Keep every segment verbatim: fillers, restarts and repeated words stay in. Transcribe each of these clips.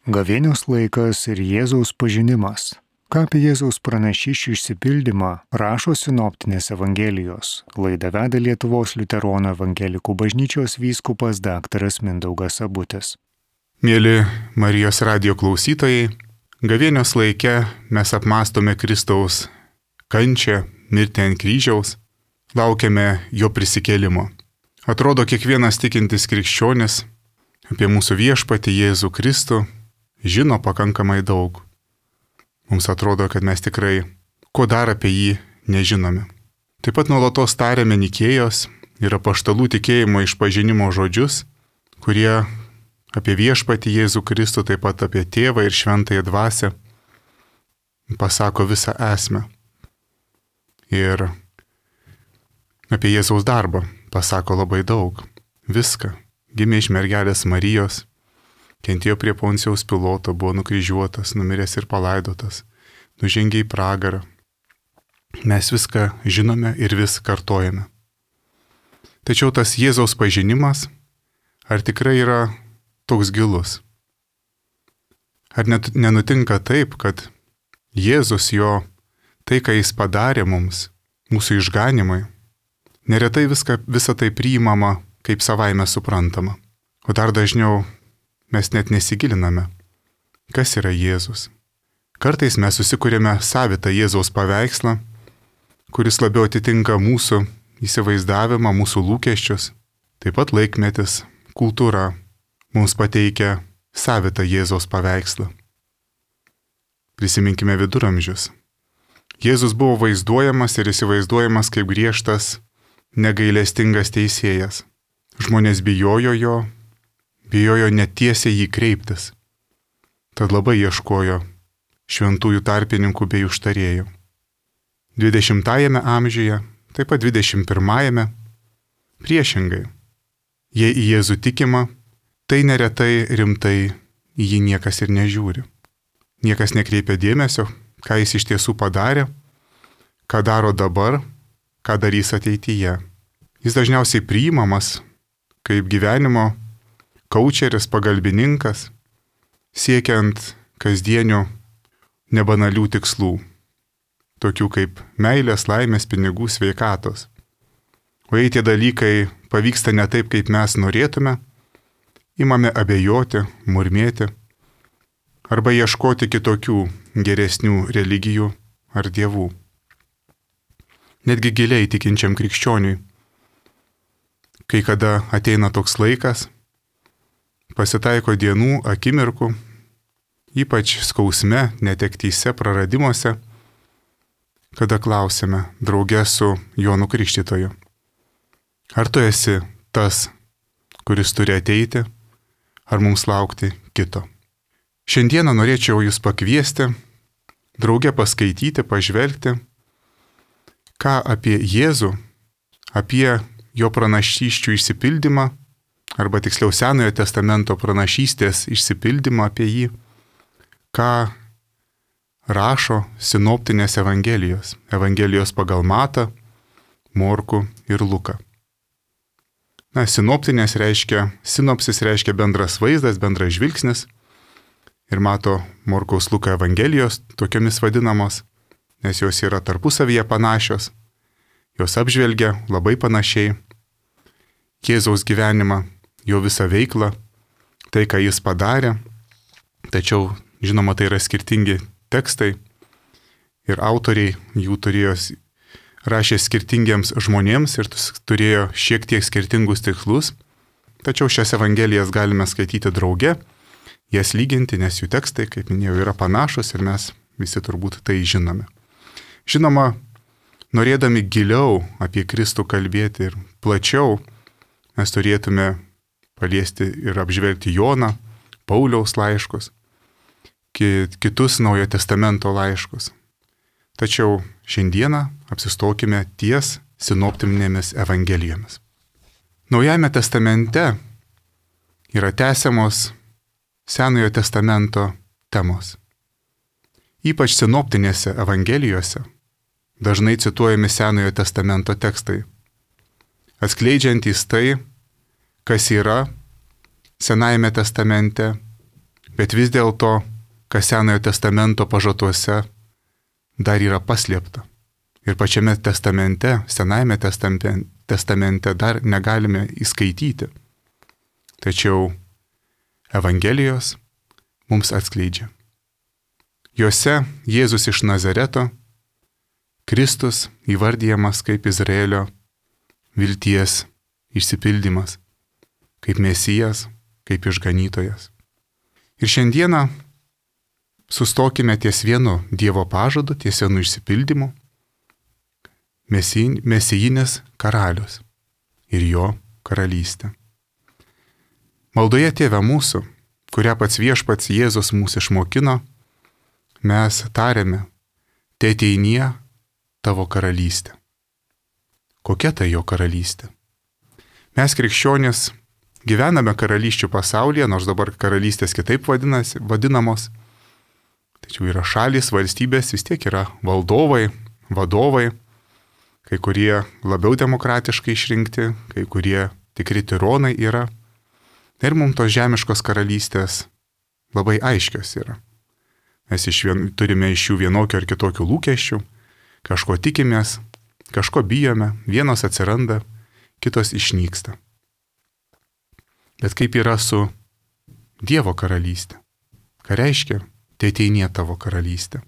Gavėnios laikas ir Jėzaus pažinimas. Ką apie Jėzaus pranašysčių išsipildymą rašo sinoptinės evangelijos. Laidą veda Lietuvos liuteronų evangelikų bažnyčios vyskupas daktaras Mindaugas Sabutis. Mėly Marijos radijo klausytojai, gavėnios laike mes apmąstome Kristaus kančią, mirtį ant kryžiaus, laukiame jo prisikėlimo. Atrodo, kiekvienas tikintis krikščionis apie mūsų viešpatį Jėzų Kristų žino pakankamai daug. Mums atrodo, kad mes tikrai ko dar apie jį nežinome. Taip pat nuolatos tariame Nikėjos ir apaštalų tikėjimo išpažinimo žodžius, kurie apie viešpatį Jėzų Kristų, taip pat apie tėvą ir šventąją dvasią pasako visą esmę. Ir apie Jėzaus darbą pasako labai daug. Viską. Gimė iš mergelės Marijos, kentėjo prie Poncijaus Piloto, buvo nukryžiuotas, numiręs ir palaidotas, nužengė į pragarą. Mes viską žinome ir vis kartojame. Tačiau tas Jėzaus pažinimas, ar tikrai yra toks gilus? Ar net nenutinka taip, kad Jėzus jo, tai, ką jis padarė mums, mūsų išganimui, neretai viską, visą tai priimama kaip savaime suprantama. O dar dažniau mes net nesigiliname, kas yra Jėzus. Kartais mes susikūrėme savitą Jėzaus paveikslą, kuris labiau atitinka mūsų įsivaizdavimą, mūsų lūkesčius. Taip pat laikmetis, kultūra mums pateikia savitą Jėzaus paveikslą. Prisiminkime viduramžius. Jėzus buvo vaizduojamas ir įsivaizduojamas kaip griežtas, negailestingas teisėjas. Žmonės bijojo jo, bijojo netiesiai jį kreiptis. Tad labai ieškojo šventųjų tarpininkų bei užtarėjų. dvidešimtajame amžiuje, taip pat dvidešimt pirmajame, priešingai. Jei į Jėzų tikima, tai neretai rimtai į jį niekas ir nežiūri. Niekas nekreipia dėmesio, ką jis iš tiesų padarė, ką daro dabar, ką darys ateityje. Jis dažniausiai priimamas kaip gyvenimo kaučeris, pagalbininkas, siekiant kasdienių nebanalių tikslų, tokių kaip meilės, laimės, pinigų, sveikatos. O jei tie dalykai pavyksta ne taip, kaip mes norėtume, imame abejoti, murmėti arba ieškoti kitokių geresnių religijų ar dievų. Netgi giliai tikinčiam krikščioniui, kai kada ateina toks laikas, pasitaiko dienų, akimirkų, ypač skausme, netektyse, praradimuose, kada klausime drauge su Jonu Krikštytoju. Ar tu esi tas, kuris turi ateiti, ar mums laukti kito? Šiandieną norėčiau jūs pakviesti, drauge paskaityti, pažvelgti, ką apie Jėzų, apie jo pranašysčių išsipildymą, arba tiksliau Senojo testamento pranašystės išsipildymą apie jį, ką rašo sinoptinės evangelijos, evangelijos pagal Matą, Morkų ir Luką. Na, sinoptinės reiškia, sinopsis reiškia bendras vaizdas, bendras žvilgsnis, ir Mato, Morkaus, Luko evangelijos tokiamis vadinamos, nes jos yra tarpusavyje panašios, jos apžvelgia labai panašiai Jėzaus gyvenimą, jo visą veiklą, tai, ką jis padarė, tačiau, žinoma, tai yra skirtingi tekstai ir autoriai jų turėjo, rašė skirtingiems žmonėms ir turėjo šiek tiek skirtingus tikslus, tačiau šias evangelijas galime skaityti drauge, jas lyginti, nes jų tekstai, kaip minėjau, yra panašus ir mes visi turbūt tai žinome. Žinoma, norėdami giliau apie Kristų kalbėti ir plačiau, mes turėtume paliesti ir apžvelgti Joną, Pauliaus laiškus, kitus Naujojo testamento laiškus. Tačiau šiandieną apsistokime ties sinoptinėmis evangelijomis. Naujajame testamente yra tęsiamos Senojo testamento temos. Ypač sinoptinėse evangelijose dažnai cituojami Senojo testamento tekstai, atskleidžiantys tai, kas yra Senajame testamente, Bet vis dėlto, kas Senojo testamento pažatuose dar yra paslėpta. Ir pačiame testamente, Senajame testamente dar negalime įskaityti. Tačiau Evangelijos mums atskleidžia. Jose Jėzus iš Nazareto, Kristus įvardyjamas kaip Izraelio vilties išsipildymas, kaip Mesijas, kaip išganytojas. Ir šiandieną sustokime ties vienu Dievo pažadu, ties vienu išsipildymu, mesijinis karalius ir jo karalystė. Maldoje Tėve mūsų, kurią pats viešpats Jėzus mūsų išmokino, mes tariame, te ateinie tavo karalystė. Kokia tai jo karalystė? Mes krikščionys gyvename karalysčių pasaulyje, nors dabar karalystės kitaip vadinasi, vadinamos. Tačiau yra šalys, valstybės, vis tiek yra valdovai, vadovai, kai kurie labiau demokratiškai išrinkti, kai kurie tikri tironai yra. Ir mums tos žemiškos karalystės labai aiškios yra. Mes iš vien, turime iš jų vienokių ar kitokių lūkesčių, kažko tikimės, kažko bijome, vienos atsiranda, kitos išnyksta. Bet kaip yra su Dievo karalystė? Ką reiškia, te ateinie tavo karalystė?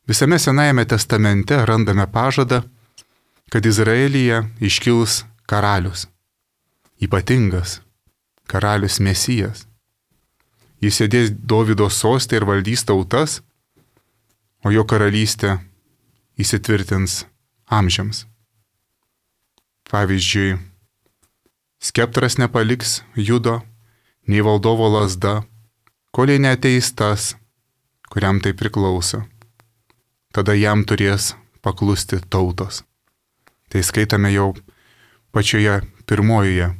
Visame Senajame testamente randame pažadą, kad Izraelyje iškils karalius, ypatingas karalius Mesijas. Jis sėdės Dovydo soste ir valdys tautas, o jo karalystė įsitvirtins amžiams. Pavyzdžiui, skeptras nepaliks Judo, nei valdovo lazda, kol neateis tas, kuriam tai priklauso. Tada jam turės paklusti tautos. Tai skaitame jau pačioje pirmojoje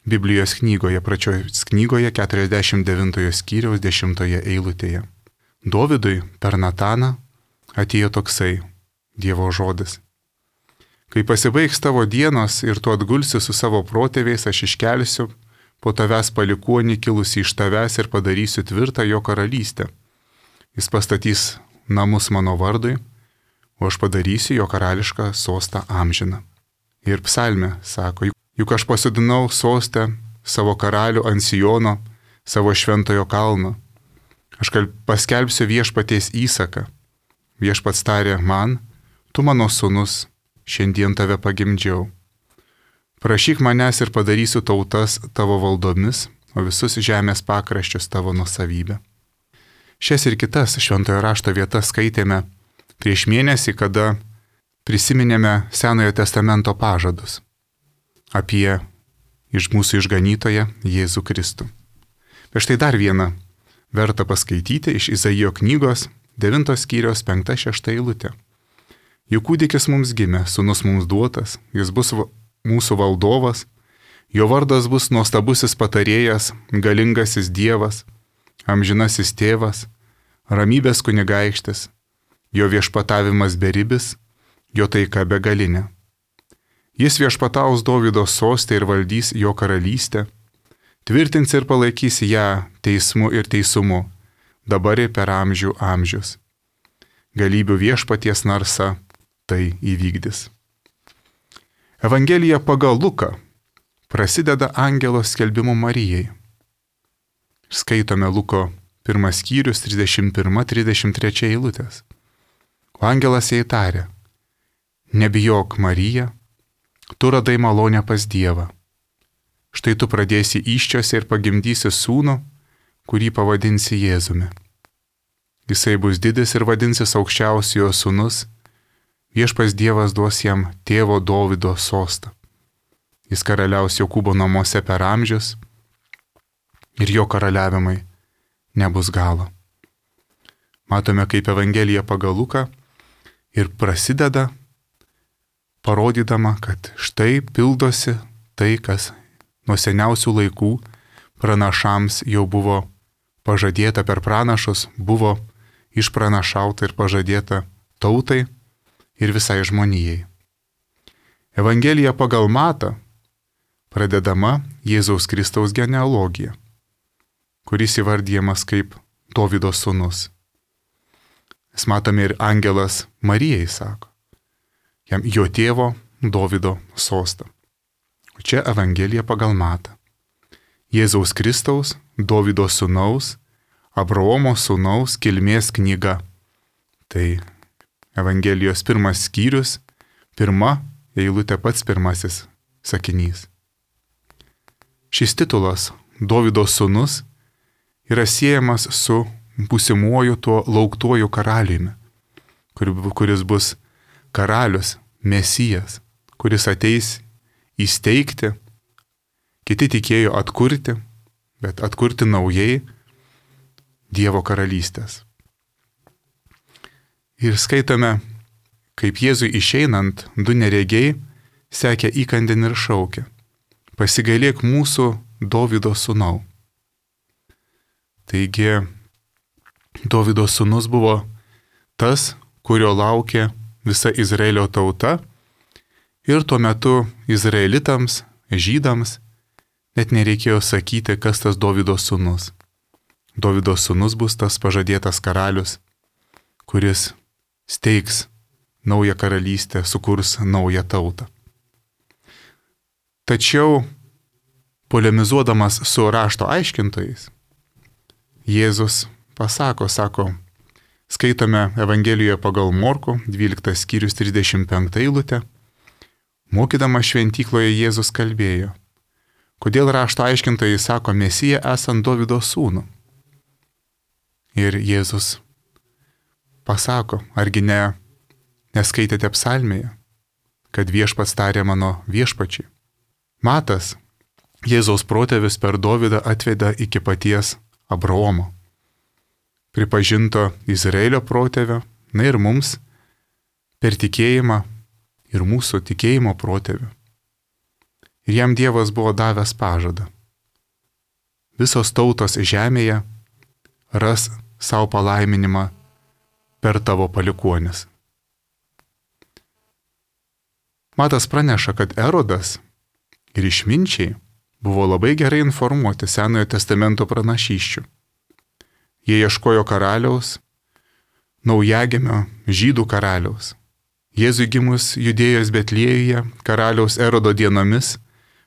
Biblijos knygoje, pradžioje knygoje keturiasdešimt devintojo skyriaus dešimtoje eilutėje. Dovydui per Nataną atėjo toksai Dievo žodis. Kai pasibaigs tavo dienos ir tu atgulsi su savo protėviais, aš iškelsiu po tavęs palikuonį kilusi iš tavęs ir padarysiu tvirtą jo karalystę. Jis pastatys namus mano vardui, o aš padarysiu jo karališką sostą amžiną. Ir psalmė sako, juk aš pasodinau sostę savo karalių ant Siono, savo šventojo kalno. Aš paskelbsiu viešpaties įsaką. Viešpats tarė man, tu mano sūnus, šiandien tave pagimdžiau. Prašyk manęs ir padarysiu tautas tavo valdomis, o visus žemės pakraščius tavo nuosavybę. Šias ir kitas šventojo rašto vietas skaitėme prieš mėnesį, kada prisiminėme Senojo testamento pažadus apie iš mūsų išganytoją Jėzų Kristų. Bet štai dar vieną verta paskaityti iš Izaijo knygos devintos skyriaus penkta šešta eilutė. Juk kūdikis mums gimė, sūnus mums duotas, jis bus mūsų valdovas, jo vardas bus nuostabusis patarėjas, galingasis Dievas, amžinasis tėvas, ramybės kunigaikštis, jo viešpatavimas beribis, jo taika begalinė. Jis viešpataus Dovydo sostę ir valdys jo karalystę, tvirtins ir palaikys ją teismu ir teisumu, dabar ir per amžių amžius. Galybių viešpaties narsa tai įvykdys. Evangelija pagal Luką prasideda angelo skelbimu Marijai. Skaitome Luko pirmas skyrius trisdešimt pirma trisdešimt trečia eilutės. O angelas jai tarė, nebijok Marija, tu radai malonę pas Dievą. Štai tu pradėsi įsčiose ir pagimdysi sūnų, kurį pavadinsi Jėzumi. Jisai bus didis ir vadinsis aukščiausiojo sūnus, viešpas Dievas duos jam tėvo Dovydo sostą. Jis karaliaus Jokūbo namuose per amžius ir jo karaliavimai nebus galo. Matome, kaip Evangelija pagal Luką ir prasideda, parodydama, kad štai pildosi tai, kas nuo seniausių laikų pranašams jau buvo pažadėta per pranašus, buvo išpranašauta ir pažadėta tautai ir visai žmonijai. Evangelija pagal Matą pradedama Jėzaus Kristaus genealogija, kuris įvardyjamas kaip Dovydo sūnus. Mes matome ir angelas Marijai sako, jam jo tėvo Dovydo sostą. O čia Evangelija pagal Matą. Jėzaus Kristaus, Dovydo sūnaus, Abraomo sūnaus kilmės knyga. Tai Evangelijos pirmas skyrius, pirma eilutė, pats pirmasis sakinys. Šis titulas, Dovydo sūnus, yra siejamas su būsimuoju tuo lauktuoju karaliumi, kuris bus karalius, Mesijas, kuris ateis įsteigti, kiti tikėjo atkurti, bet atkurti naujai Dievo karalystės. Ir skaitome, kaip Jėzui išeinant, du neregiai sekė įkandin ir šaukė, pasigailėk mūsų Dovydo sūnau. Taigi, Dovydo sūnus buvo tas, kurio laukė visa Izraelio tauta, ir tuo metu izraelitams, žydams, net nereikėjo sakyti, kas tas Dovydo sūnus. Dovydo sūnus bus tas pažadėtas karalius, kuris steigs naują karalystę, sukurs naują tautą. Tačiau, polemizuodamas su rašto aiškintojais, Jėzus pasako, sako, skaitome Evangelijoje pagal Morkų, dvyliktas skyrius trisdešimt penktą eilutę, mokydama šventykloje Jėzus kalbėjo, kodėl rašto aiškintojai sako Mesiją esant Dovydo sūnų. Ir Jėzus pasako, argi ne, neskaitėte psalmėje, kad viešpats tarė mano viešpačiai. Matas, Jėzaus protėvis per Dovydą atvedė iki paties Abraomo, pripažinto Izraelio protėvio, na ir mums per tikėjimą ir mūsų tikėjimo protėvio. Ir jam Dievas buvo davęs pažadą. Visos tautos žemėje ras savo palaiminimą per tavo palikuonis. Matas praneša, kad Erodas ir išminčiai buvo labai gerai informuoti Senojo testamento pranašysčių. Jie ieškojo karaliaus, naujagimio žydų karaliaus. Jėzui gimus Judėjos Betliejuje karaliaus Erodo dienomis,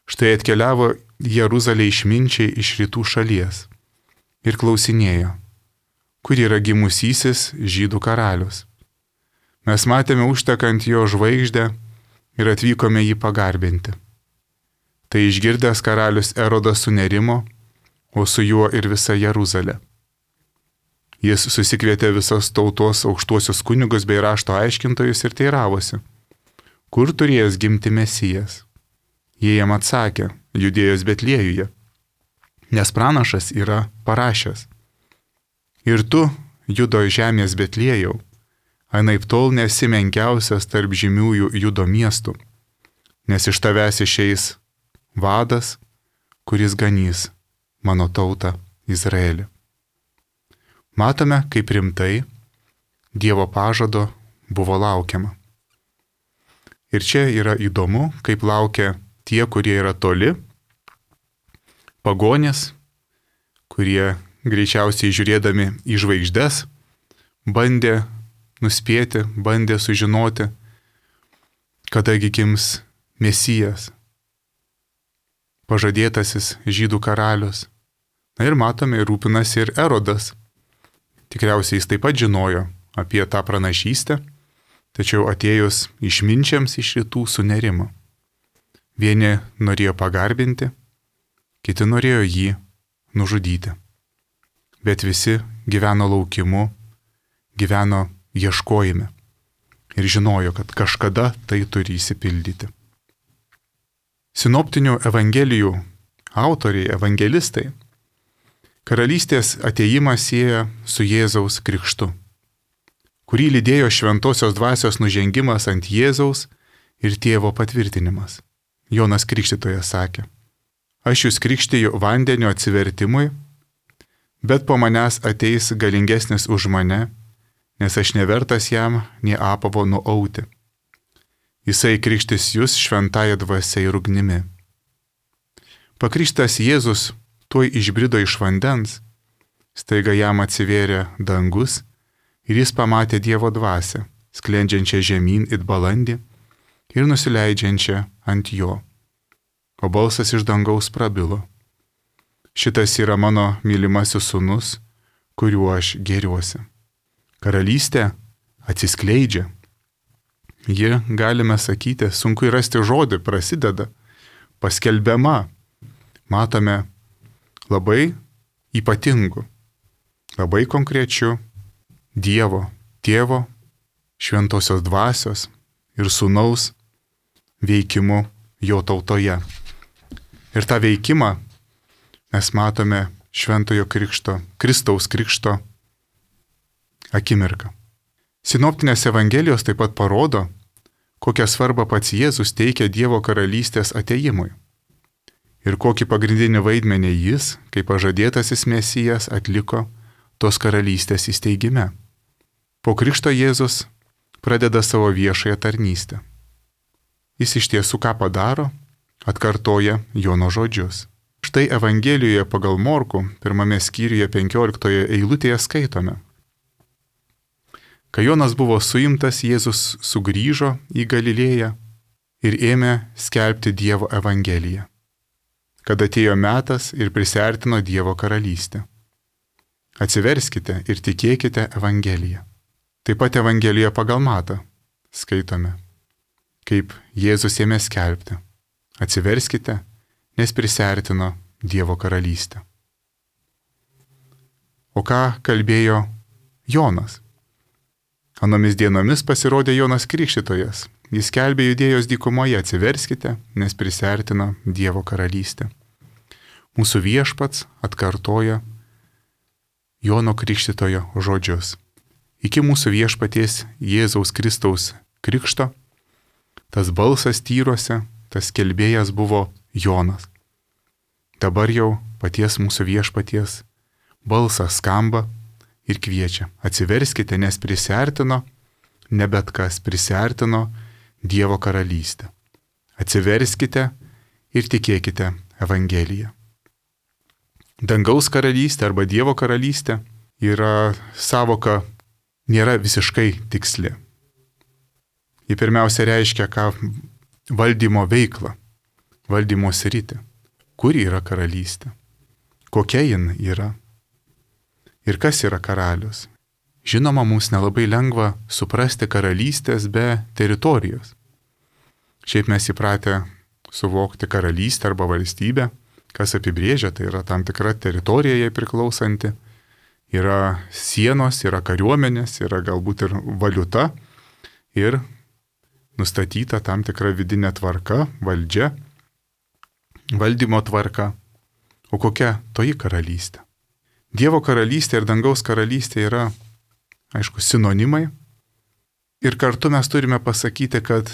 štai atkeliavo Jeruzalė išminčiai iš rytų šalies ir klausinėjo, kur yra gimusysis žydų karalius. Mes matėme užtekant jo žvaigždę ir atvykome jį pagarbinti. Tai išgirdęs karalius Erodas sunerimo, o su juo ir visa Jeruzalė. Jis susikvietė visos tautos aukštuosius kunigus bei rašto aiškintojus ir teiravosi, kur turėjęs gimti Mesijas. Jie jam atsakė, Judėjos Betliejuje, nes pranašas yra parašęs. Ir tu, Judo žemės Betliejau, anaiptol nesi menkiausias tarp žymiųjų Judo miestų, nes iš tavęs išeis vadas, kuris ganys mano tautą Izraelį. Matome, kaip rimtai Dievo pažado buvo laukiama. Ir čia yra įdomu, kaip laukia tie, kurie yra toli, pagonės, kurie greičiausiai žiūrėdami į žvaigždes, bandė nuspėti, bandė sužinoti, kadagi gims Mesijas, pažadėtasis žydų karalius. Na ir matome, rūpinasi ir Erodas. Tikriausiai jis taip pat žinojo apie tą pranašystę, tačiau atėjus išminčiams iš rytų sunerimo. Vieni norėjo pagarbinti, kiti norėjo jį nužudyti. Bet visi gyveno laukimu, gyveno ieškojime ir žinojo, kad kažkada tai turi įsipildyti. Sinoptinių evangelijų autoriai, evangelistai, karalystės atėjimą sieja su Jėzaus krikštu, kurį lydėjo šventosios dvasios nužengimas ant Jėzaus ir tėvo patvirtinimas. Jonas Krikštytojas sakė, aš jūs krikštiju vandenio atsivertimui, bet po manęs ateis galingesnis už mane, nes aš nevertas jam nė apavo nuauti. Jisai krikštis jūs šventąja dvasia ir ugnimi. Pakrikštas Jėzus tuoj išbrido iš vandens Staiga jam atsivėrė dangus ir jis pamatė Dievo dvasią, sklendžiančią žemyn it balandį ir nusileidžiančią ant jo. O balsas iš dangaus prabilo: šitas yra mano mylimasis sūnus, kuriuo aš gėriuosi. Karalystė atsiskleidžia. Ji, galime sakyti, sunku rasti žodį, prasideda, paskelbiama. Matome labai ypatingų, labai konkrečių Dievo, Tėvo, Šventosios dvasios ir Sūnaus veikimu jo tautoje. Ir tą veikimą mes matome Šventojo Krikšto, Kristaus Krikšto akimirką. Sinoptinės Evangelijos taip pat parodo, kokią svarbą pats Jėzus teikia Dievo karalystės atėjimui ir kokį pagrindinį vaidmenį jis, kaip pažadėtasis Mesijas, atliko tos karalystės įsteigime. Po Krikšto Jėzus pradeda savo viešąją tarnystę. Jis iš tiesų ką padaro? Atkartoja Jono žodžius. Štai Evangelijoje pagal Morkų, pirmame skyriuje penkioliktoje eilutėje skaitome: kai Jonas buvo suimtas, Jėzus sugrįžo į Galilėją ir ėmė skelbti Dievo Evangeliją, kad atėjo metas ir prisiartino Dievo karalystė. Atsiverskite ir tikėkite Evangeliją. Taip pat Evangelijoje pagal Matą skaitome, kaip Jėzus ėmė skelbti: atsiverskite, nes prisiartino Dievo karalystė. O ką kalbėjo Jonas? Anomis dienomis pasirodė Jonas Krikštytojas. Jis skelbė Judėjos dykumoje: atsiverskite, nes prisiartino Dievo karalystė. Mūsų Viešpats atkartoja Jono Krikštytojo žodžius. Iki mūsų Viešpaties Jėzaus Kristaus krikšto tas balsas tyruose, tas skelbėjas buvo Jonas. Dabar jau paties mūsų Viešpaties balsas skamba ir kviečia: atsiverskite, nes prisiartino, ne bet kas, prisiartino Dievo karalystė. Atsiverskite ir tikėkite Evangeliją. Dangaus karalystė arba Dievo karalystė yra savoka, nėra visiškai tiksli. Ji pirmiausia reiškia ką valdymo veiklą, valdymo sritį. Kur yra karalystė? Kokia jin yra? Ir kas yra karalius? Žinoma, mums nelabai lengva suprasti karalystės be teritorijos. Šiaip mes įpratę suvokti karalystę arba valstybę, kas apibrėžia, tai yra tam tikra teritorija jai priklausanti, yra sienos, yra kariuomenės, yra galbūt ir valiuta ir nustatyta tam tikra vidinė tvarka, valdžia, valdymo tvarka. O kokia toji karalystė? Dievo karalystė ir dangaus karalystė yra, aišku, sinonimai. Ir kartu mes turime pasakyti, kad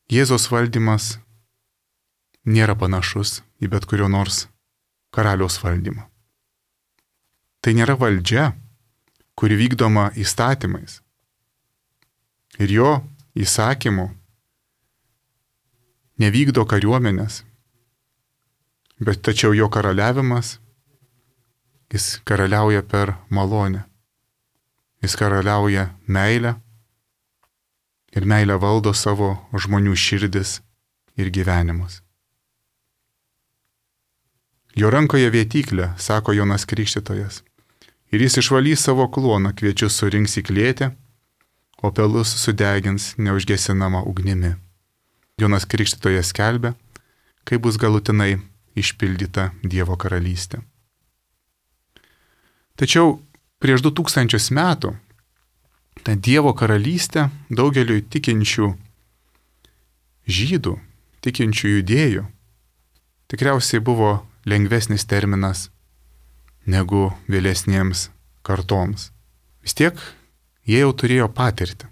Jėzaus valdymas nėra panašus į bet kurio nors karaliaus valdymą. Tai nėra valdžia, kuri vykdoma įstatymais. Ir jo įsakymų nevykdo kariuomenės, bet tačiau jo karaliavimas, jis karaliauja per malonę. Jis karaliauja meilę ir meilę valdo savo žmonių širdis ir gyvenimus. Jo rankoje vėtyklė, sako Jonas Krikštytojas, ir jis išvalys savo kluoną, kviečius surinks į klėtę, o pelus sudegins neužgesinama ugnimi. Jonas Krikštytojas skelbia, kai bus galutinai išpildyta Dievo karalystė. Tačiau prieš du tūkstančius metų ta Dievo karalystė daugeliui tikinčių žydų, tikinčių judėjų tikriausiai buvo lengvesnis terminas negu vėlesniems kartoms. Vis tiek jie jau turėjo patirtį.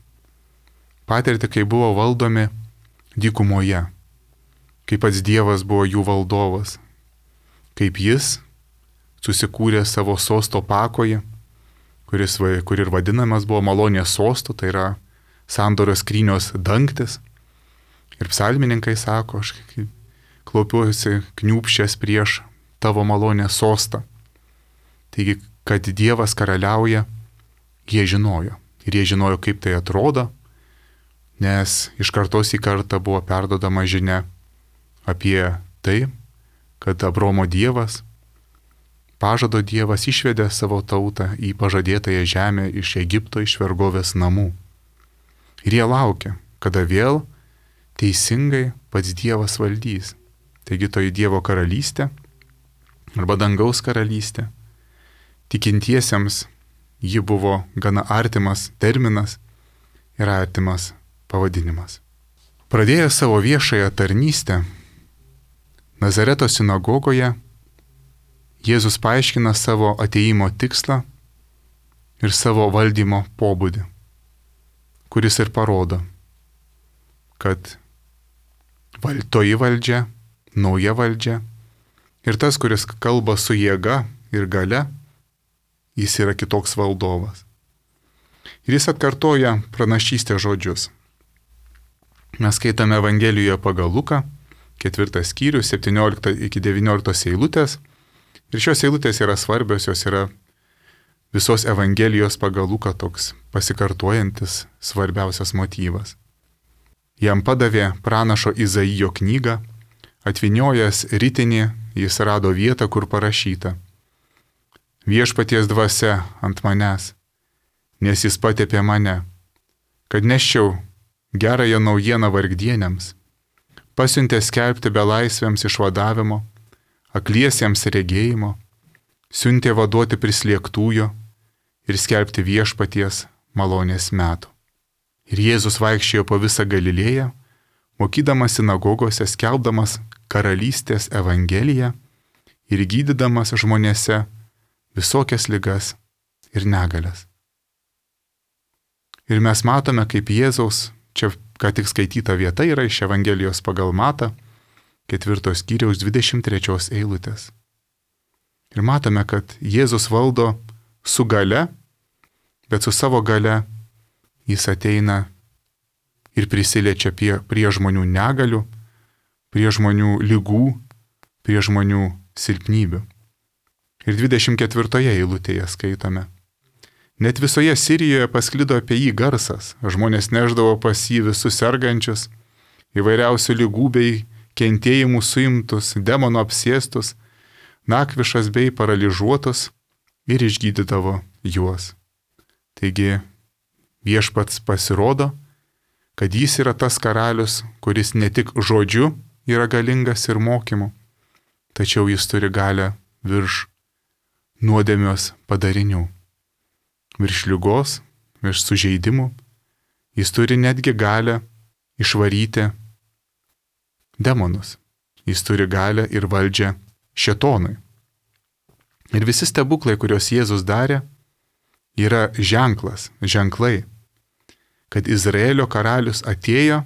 Patirtį, kai buvo valdomi dykumoje, kaip pats Dievas buvo jų valdovas, kaip jis susikūrė savo sosto pakoje, kuris, kur ir vadinamas buvo malonės sostu, tai yra sandoros skrynios dangtis. Ir psalmininkai sako, aš klaupiuosi kniūpščias prieš tavo malonės sostą. Taigi, kad Dievas karaliauja, jie žinojo. Ir jie žinojo, kaip tai atrodo, nes iš kartos į kartą buvo perdodama žinia apie tai, kad Abraomo Dievas, pažado Dievas išvedė savo tautą į pažadėtąją žemę iš Egipto, iš vergovės namų. Ir jie laukia, kada vėl teisingai pats Dievas valdys. Taigi toji Dievo karalystė arba dangaus karalystė. Tikintiesiems ji buvo gana artimas terminas ir artimas pavadinimas. Pradėjęs savo viešąją tarnystę, Nazareto sinagogoje Jėzus paaiškina savo ateimo tikslą ir savo valdymo pobūdį, kuris ir parodo, kad toji valdžia, nauja valdžia ir tas, kuris kalba su jėga ir gale, jis yra kitoks valdovas. Ir jis atkartoja pranašystės žodžius. Mes skaitame Evangelijoje pagal Luką, ketvirtas skyrius, septyniolikta iki devynioliktos eilutės. Ir šios eilutės yra svarbios, jos yra visos Evangelijos pagal Luką toks pasikartojantis svarbiausias motyvas. Jam padavė pranašo Izaijo knygą, atviniojęs ritinį, jis rado vietą, kur parašyta: Viešpaties dvasia ant manęs, nes jis patepė mane, kad neščiau gerąją naujieną vargdieniams, pasiuntė skelbti belaisviams išvadavimo, akliesiems regėjimo, siuntė vaduoti prislėgtųjų ir skelbti viešpaties malonės metų. Ir Jėzus vaikščiojo po visą Galilėją, mokydamas sinagogose, skelbdamas karalystės evangeliją ir gydydamas žmonėse visokias ligas ir negalias. Ir mes matome, kaip Jėzaus, čia ką tik skaityta vieta yra iš Evangelijos pagal Matą, ketvirtos skyriaus dvidešimt trečios eilutės. Ir matome, kad Jėzus valdo su gale, bet su savo gale jis ateina ir prisiliečia prie, prie žmonių negalių, prie žmonių ligų, prie žmonių silpnybių. Ir dvidešimt ketvirtoje eilutėje skaitome: Net visoje Sirijoje pasklido apie jį garsas, žmonės neždavo pas jį visus sergančius, įvairiausių lygų bei kentėjimų suimtus, demonų apsėstus, nakvišas bei paralyžiuotus ir išgydydavo juos. Taigi viešpats pasirodo, kad jis yra tas karalius, kuris ne tik žodžiu yra galingas ir mokymu, tačiau jis turi galią virš nuodėmios padarinių, virš ligos, virš sužeidimų. Jis turi netgi galią išvaryti demonus. Jis turi galią ir valdžią šėtonui. Ir visi stebuklai, kuriuos Jėzus darė, yra ženklas, ženklai, kad Izraelio karalius atėjo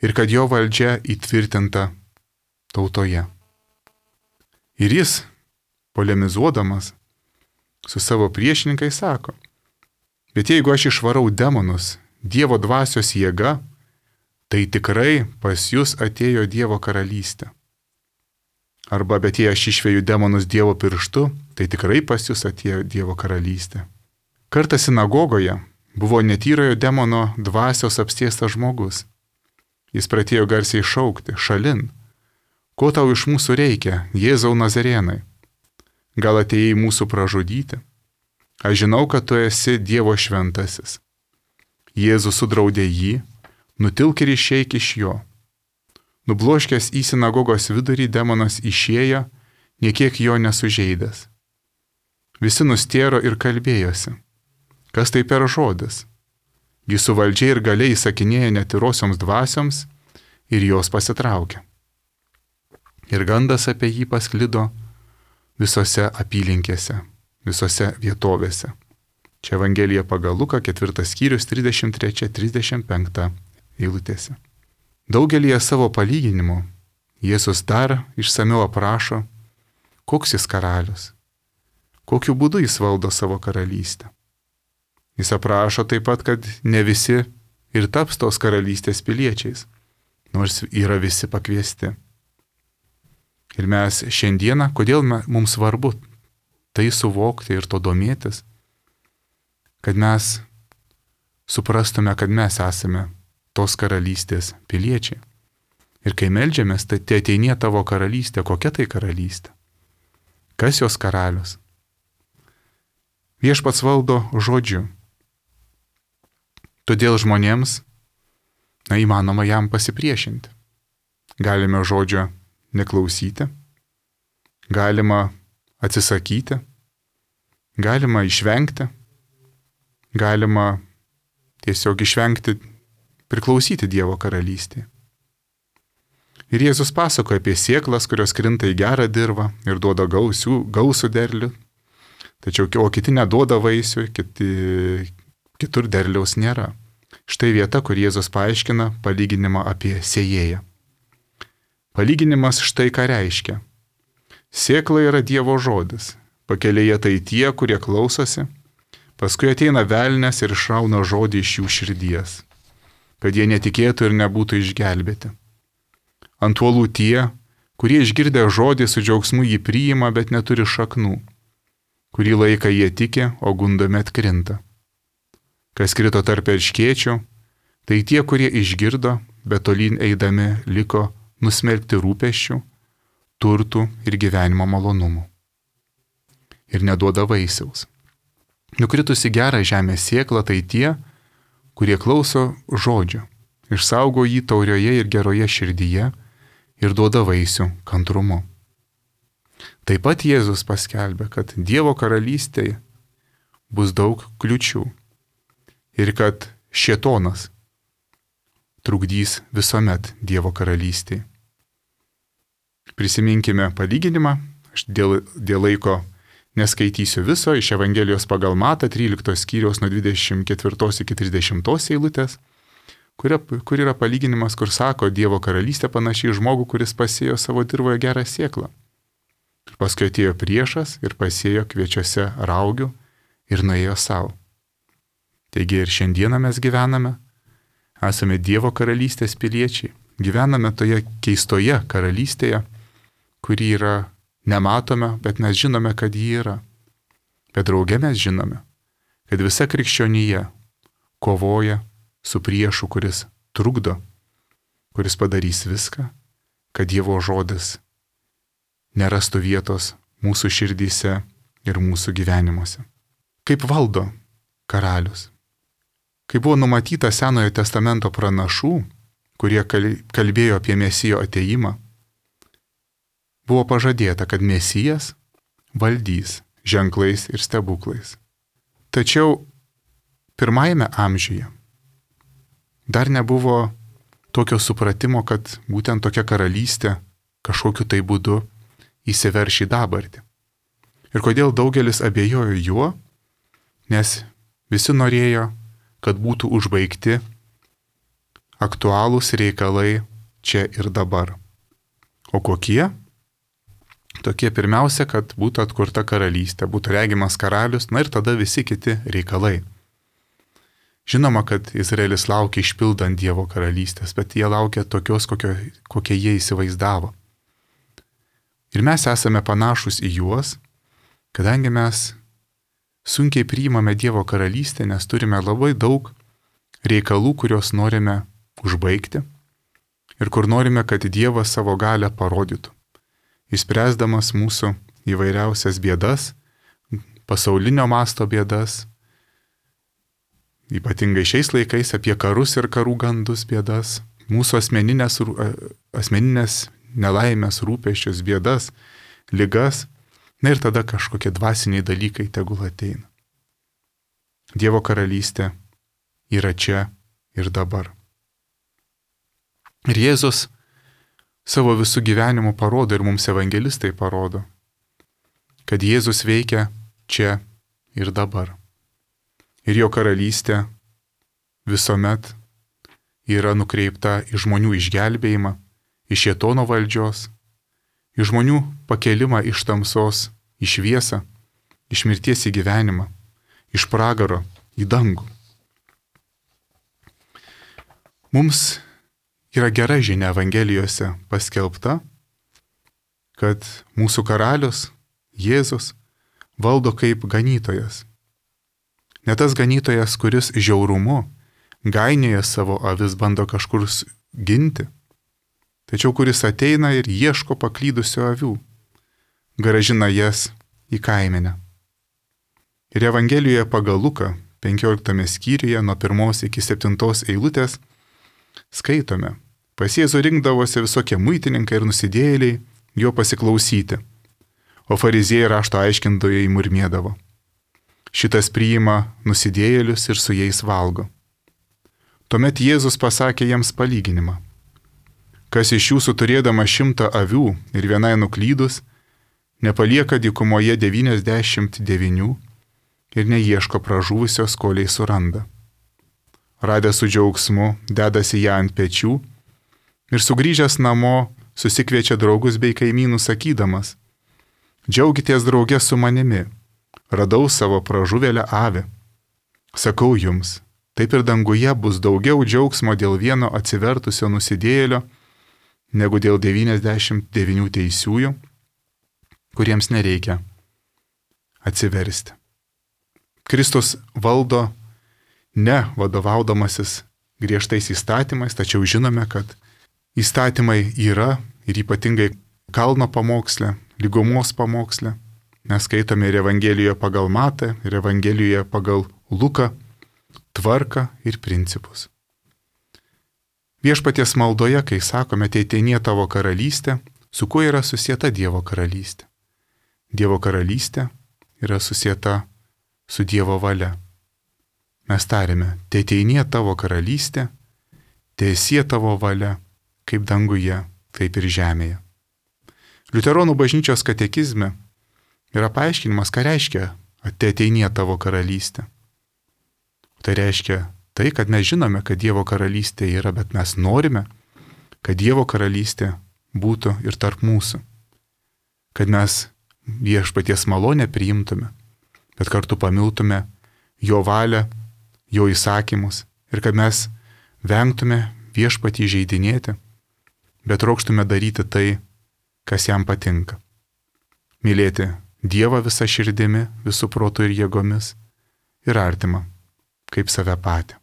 ir kad jo valdžia įtvirtinta tautoje. Ir jis, polemizuodamas su savo priešininkai, sako: Bet jeigu aš išvarau demonus Dievo dvasios jėga, tai tikrai pas jūs atėjo Dievo karalystė. Arba bet jei aš išveju demonus Dievo pirštu, tai tikrai pas jūs atėjo Dievo karalystė. Kartą sinagogoje buvo netyrojo demono dvasios apsėstas žmogus. Jis pradėjo garsiai šaukti: Šalin, ko tau iš mūsų reikia, Jėzau Nazarėnai? Gal atėjai mūsų pražudyti? Aš žinau, kad tu esi Dievo šventasis. Jėzus sudraudė jį: Nutilk ir išeik iš jo. Nubloškęs į sinagogos vidurį, demonas išėjo, niekiek jo nesužeidęs. Visi nustėro ir kalbėjosi: Kas tai per žodis? Jis su valdžia ir galiai įsakinėja netyrosioms dvasioms ir jos pasitraukė. Ir gandas apie jį pasklido visose apylinkėse, visose vietovėse. Čia Evangelija pagal Luką, ketvirtas skyrius, trisdešimt trečia trisdešimt penkta eilutėse. Daugelįje savo palyginimų Jėzus dar išsamiau aprašo, koks jis karalius, kokiu būdu jis valdo savo karalystę. Jis aprašo taip pat, kad ne visi ir taps tos karalystės piliečiais, nors yra visi pakviesti. Ir mes šiandieną, kodėl mums svarbu tai suvokti ir to domėtis, kad mes suprastume, kad mes esame tos karalystės piliečiai. Ir kai meldžiamės, tai ateinie tavo karalystė. Kokia tai karalystė? Kas jos karalius? Viešpats valdo žodžiu. Todėl žmonėms, na, įmanoma jam pasipriešinti. Galime žodžio neklausyti, galima atsisakyti, galima išvengti, galima tiesiog išvengti priklausyti Dievo karalystėje. Ir Jėzus pasakoja apie sėklas, kurios krinta į gerą dirvą ir duoda gausių, gausų derlių, tačiau o kiti neduoda vaisių, kiti, kitur derliaus nėra. Štai vieta, kur Jėzus paaiškina palyginimą apie sėjėją. Palyginimas štai ką reiškia. Sėkla yra Dievo žodis, pakelėje tai tie, kurie klausosi, paskui ateina velnias ir išrauna žodį iš jų širdies, kad jie netikėtų ir nebūtų išgelbėti. Ant uolų tie, kurie išgirdę žodį su džiaugsmu jį priima, bet neturi šaknų. Kurį laiką jie tiki, o gundomi atkrinta. Kas krito tarp erškėčių, tai tie, kurie išgirdo, bet tolyn eidami liko nusmelkti rūpesčių, turtų ir gyvenimo malonumų. Ir neduoda vaisiaus. Nukritusi gerą žemės sėklą, tai tie, kurie klauso žodžio, išsaugo jį taurioje ir geroje širdyje, ir duoda vaisių kantrumu. Taip pat Jėzus paskelbė, kad Dievo karalystėje bus daug kliučių ir kad šėtonas trukdys visuomet Dievo karalystėje. Prisiminkime palyginimą, aš dėl, dėl laiko neskaitysiu viso, iš Evangelijos pagal Matą tryliktos skyriaus nuo dvidešimt ketvirtos iki trisdešimtos eilutės, Kur, kur yra palyginimas, kur sako, Dievo karalystė panašiai žmogų, kuris pasėjo savo dirvoje gerą sėklą. Ir paskui atėjo priešas ir pasėjo kviečiuose raugių ir nuėjo savo. Taigi ir šiandieną mes gyvename, esame Dievo karalystės piliečiai, gyvename toje keistoje karalystėje, kuri yra nematome, bet mes žinome, kad ji yra. Bet drauge mes žinome, kad visa krikščionija kovoja su priešu, kuris trukdo, kuris padarys viską, kad Dievo žodis nerastų vietos mūsų širdyse ir mūsų gyvenimuose. Kaip valdo karalius? Kaip buvo numatyta Senojo testamento pranašų, kurie kalbėjo apie Mesijo atėjimą, buvo pažadėta, kad Mesijas valdys ženklais ir stebuklais. Tačiau pirmajame amžiuje dar nebuvo tokio supratimo, kad būtent tokia karalystė kažkokiu tai būdu įsiverš į dabartį. Ir kodėl daugelis abejojo juo? Nes visi norėjo, kad būtų užbaigti aktualūs reikalai čia ir dabar. O kokie? Tokie pirmiausia, kad būtų atkurta karalystė, būtų regimas karalius, na ir tada visi kiti reikalai. Žinoma, kad Izraelis laukia išpildant Dievo karalystės, bet jie laukia tokios, kokio, kokie jie įsivaizdavo. Ir mes esame panašus į juos, kadangi mes sunkiai priimame Dievo karalystę, nes turime labai daug reikalų, kuriuos norime užbaigti ir kur norime, kad Dievas savo galią parodytų, išspręsdamas mūsų įvairiausias bėdas, pasaulinio masto bėdas, ypatingai šiais laikais apie karus ir karų gandus bėdas, mūsų asmeninės, asmeninės nelaimės, rūpesčius, bėdas, ligas, na ir tada kažkokie dvasiniai dalykai tegul ateina. Dievo karalystė yra čia ir dabar. Ir Jėzus savo visų gyvenimų parodo, ir mums evangelistai parodo, kad Jėzus veikia čia ir dabar. Ir jo karalystė visuomet yra nukreipta į žmonių išgelbėjimą, iš šėtono valdžios, į žmonių pakelimą iš tamsos į šviesą, iš mirties į gyvenimą, iš pragaro į dangų. Mums yra gera žinia Evangelijose paskelbta, kad mūsų karalius Jėzus valdo kaip ganytojas. Ne tas ganytojas, kuris žiaurumu gainioja savo avis, bando kažkur ginti, tačiau kuris ateina ir ieško paklydusio avių, grąžina jas į kaimenę. Ir Evangelijoje pagal Luką, penkioliktame skyriuje, nuo pirmos iki septintos eilutės, skaitome, pas Jėzų rinkdavosi visokie muitininkai ir nusidėjėliai jo pasiklausyti, o fariziejai rašto aiškintojai murmėdavo. Šitas priima nusidėjėlius ir su jais valgo. Tuomet Jėzus pasakė jiems palyginimą. Kas iš jūsų turėdama šimtą avių ir vienai nuklydus, nepalieka dykumoje devyniasdešimt devynių ir neieško pražuvusios, koliai suranda. Radęs su džiaugsmu, dedasi ją ant pečių ir sugrįžęs namo susikviečia draugus bei kaimynus sakydamas, džiaukitės drauge su manimi, radau savo pražuvėlę avį. Sakau jums, taip ir danguje bus daugiau džiaugsmo dėl vieno atsivertusio nusidėjėlio, negu dėl devyniasdešimt devynių teisiųjų, kuriems nereikia atsiversti. Kristus valdo ne vadovaudamasis griežtais įstatymais, tačiau žinome, kad įstatymai yra ir ypatingai kalno pamoksle, lygumos pamoksle. Mes skaitome ir Evangelijoje pagal Matą, ir Evangelijoje pagal Luką tvarką ir principus. Viešpaties maldoje, kai sakome, teiteinie tavo karalystė, su kuo yra susieta Dievo karalystė? Dievo karalystė yra susieta su Dievo valia. Mes tarėme, teiteinie tavo karalystė, teesie tavo valia, kaip danguje, taip ir žemėje. Liuteronų bažnyčios katekizme yra paaiškinimas, ką reiškia teiteinie tavo karalystė. Tai reiškia tai, kad mes žinome, kad Dievo karalystė yra, bet mes norime, kad Dievo karalystė būtų ir tarp mūsų. Kad mes viešpaties malonę priimtume, bet kartu pamiltume jo valią, jo įsakymus ir kad mes vengtume viešpatį įžeidinėti, bet trokštume daryti tai, kas jam patinka. Mylėti Dievą visą širdimi, visų protų ir jėgomis ir artimą, kaip save patį.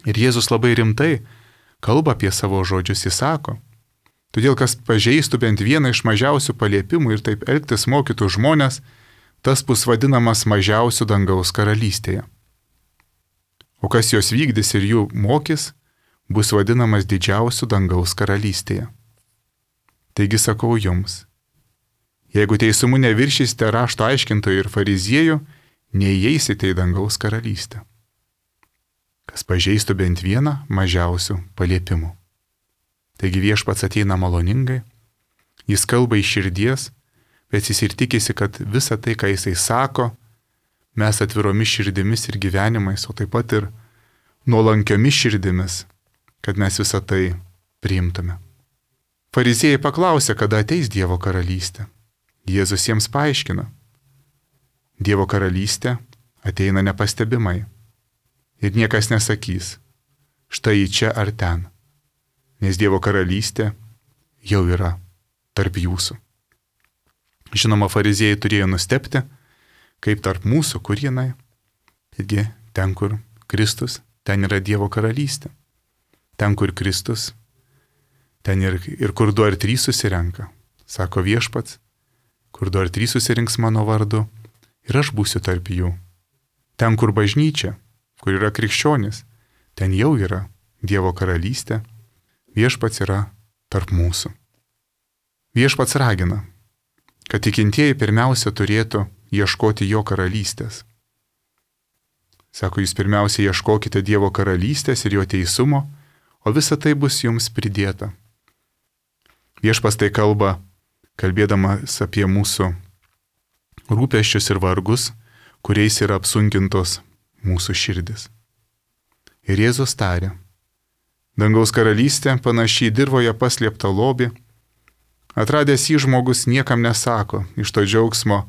Ir Jėzus labai rimtai kalba apie savo žodžius, jis sako, todėl kas pažeistų bent vieną iš mažiausių paliepimų ir taip elgtis mokytų žmonės, tas bus vadinamas mažiausių dangaus karalystėje. O kas jos vykdys ir jų mokys, bus vadinamas didžiausių dangaus karalystėje. Taigi sakau jums, jeigu teisumu neviršysite rašto aiškintojų ir fariziejų, neįeisite į dangaus karalystę. Kas pažeistų bent vieną mažiausių paliepimų. Taigi viešpats ateina maloningai, jis kalba iš širdies, bet jis ir tikisi, kad visa tai, ką jisai sako, mes atviromis širdimis ir gyvenimais, o taip pat ir nuolankiomis širdimis, kad mes visą tai priimtume. Fariziejai paklausė, kada ateis Dievo karalystė. Jėzus jiems paaiškino. Dievo karalystė ateina nepastebimai. Ir niekas nesakys, štai čia ar ten, nes Dievo karalystė jau yra tarp jūsų. Žinoma, fariziejai turėjo nustebti, kaip tarp mūsų, kur jinai. Taigi, ten, kur Kristus, ten yra Dievo karalystė. Ten, kur Kristus, ten ir, ir kur du ar trys susirenka. Sako viešpats, kur du ar trys susirinks mano vardu, ir aš būsiu tarp jų. Ten, kur bažnyčia, kur yra krikščionis, ten jau yra Dievo karalystė, viešpats yra tarp mūsų. Viešpats ragina, kad tikintieji pirmiausia turėtų ieškoti jo karalystės. Sako, jūs pirmiausia ieškokite Dievo karalystės ir jo teisumo, o visa tai bus jums pridėta. Viešpats tai kalba, kalbėdamas apie mūsų rūpesčius ir vargus, kuriais yra apsunkintos mūsų širdis. Ir Jėzus tarė, dangaus karalystė panašiai dirvoje paslėptą lobį, atradęs jį žmogus niekam nesako, iš to džiaugsmo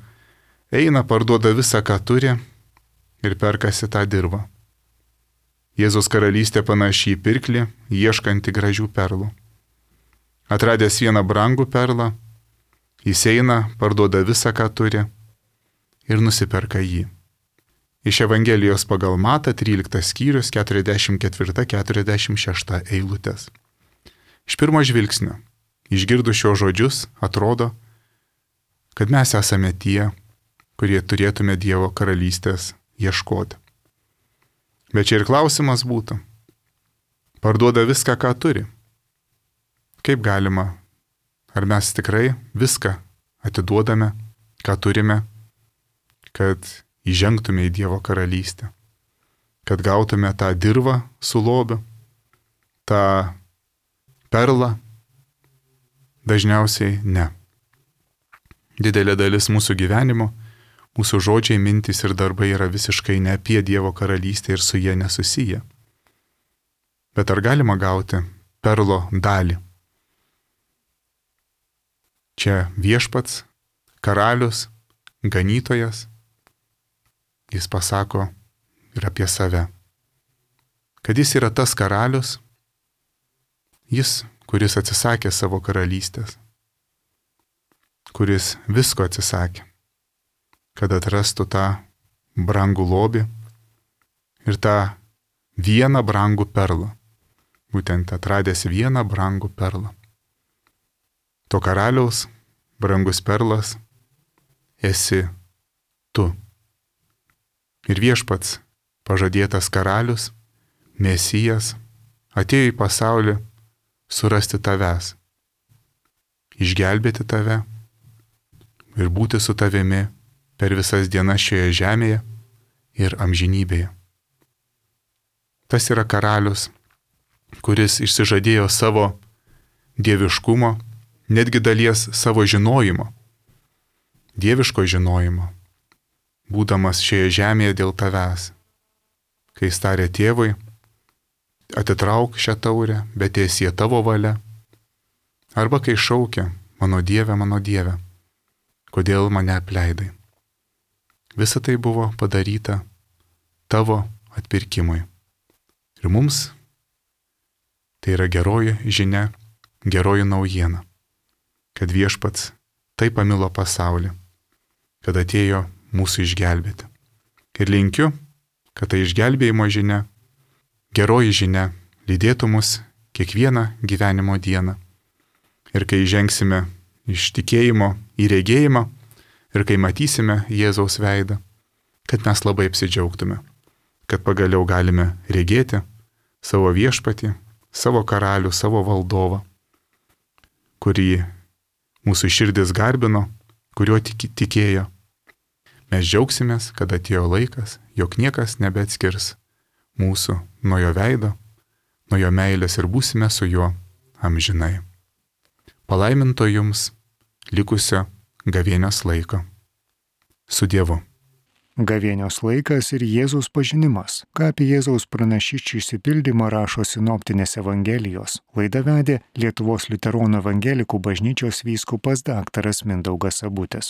eina, parduoda visą, ką turi ir perkasi tą dirvą. Jėzus karalystė panašiai pirklį, ieškanti gražių perlų. Atradęs vieną brangų perlą, jis eina, parduoda visą, ką turi ir nusiperka jį. Iš Evangelijos pagal Matą tryliktas skyrius keturiasdešimt ketvirta keturiasdešimt šešta eilutės. Iš pirmo žvilgsnio, išgirdus šios žodžius, atrodo, kad mes esame tie, kurie turėtume Dievo karalystės ieškoti. Bet čia ir klausimas būtų. Parduoda viską, ką turi. Kaip galima? Ar mes tikrai viską atiduodame, ką turime, kad įžengtume į Dievo karalystę? Kad gautume tą dirvą su lobiu, tą perlą? Dažniausiai ne. Didelė dalis mūsų gyvenimo, mūsų žodžiai, mintys ir darbai yra visiškai ne apie Dievo karalystę ir su jie nesusiję. Bet ar galima gauti perlo dalį? Čia viešpats, karalius, ganytojas, jis pasako ir apie save. Kad jis yra tas karalius, jis, kuris atsisakė savo karalystės, kuris visko atsisakė, kad atrastų tą brangų lobį ir tą vieną brangų perlą, būtent atradęs vieną brangų perlą. To karaliaus brangus perlas esi tu. Ir viešpats, pažadėtas karalius, Mesijas, atėjo į pasaulį surasti tavęs, išgelbėti tave ir būti su tavimi per visas dienas šioje žemėje ir amžinybėje. Tas yra karalius, kuris išsižadėjo savo dieviškumo, netgi dalies savo žinojimo, dieviško žinojimo, būdamas šioje žemėje dėl tavęs, kai jis tarė tėvui, atitrauk šią taurę, bet tiesie tavo valia, arba kai šaukia, mano Dieve, mano Dieve, kodėl mane apleidai. Visa tai buvo padaryta tavo atpirkimui. Ir mums tai yra geroji žinia, geroji naujiena, kad viešpats taip pamilo pasaulį, kad atėjo mūsų išgelbėti. Ir linkiu, kad tai išgelbėjimo žinia, geroji žinia lydėtų mus kiekvieną gyvenimo dieną. Ir kai žengsime iš tikėjimo į regėjimą ir kai matysime Jėzaus veidą, kad mes labai apsidžiaugtume, kad pagaliau galime regėti savo viešpatį, savo karalių, savo valdovą, kurį mūsų širdis garbino, kuriuo tik, tikėjo. Mes džiaugsimės, kad atėjo laikas, jog niekas nebeatskirs mūsų nuo jo veido, nuo jo meilės ir būsime su juo amžinai. Palaiminto jums likusio gavėnios laiko. Su Dievu. Gavėnios laikas ir Jėzaus pažinimas. Ką apie Jėzaus pranašysčių išsipildymą rašo sinoptinės Evangelijos. Laidą vedė Lietuvos liuteronų evangelikų bažnyčios vyskupas daktaras Mindaugas Sabutis.